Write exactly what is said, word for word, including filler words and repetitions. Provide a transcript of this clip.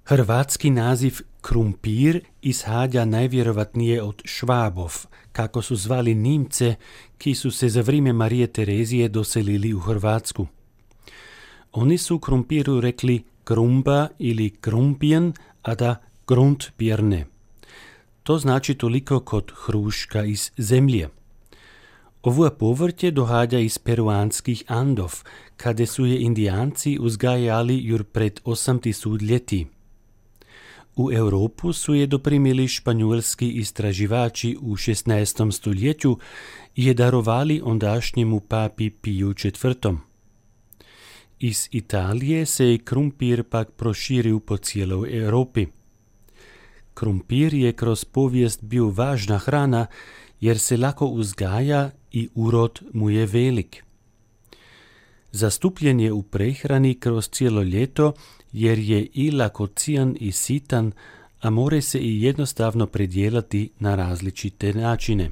Hrvatski naziv krumpir ishađa najvjerovatnije od Švábov, kako su zvali Nimce, ki su se za vrijeme Marije Terezije doselili u Hrvatsku. Oni su krumpiru rekli krumba ili krumpien, a da grundbirne. To znači toliko kod hruška iz zemlje. Ovo povrće dohađa iz peruanskih Andov, kada su je Indijanci uzgajali jur pred osam tisuća ljeti. U Europu su je doprimili španjolski istraživači u šesnaestom stoljeću i je darovali ondašnjemu papi Piju četvrtom. Iz Italije se je krumpir pak proširio po cijeloj Europi. Krumpir je kroz povijest bio važna hrana jer se lako uzgaja i urod mu je velik. Zastupljen je u prehrani kroz cijelo ljeto jer je i lakocijan i sitan, a more se i jednostavno predijelati na različite načine.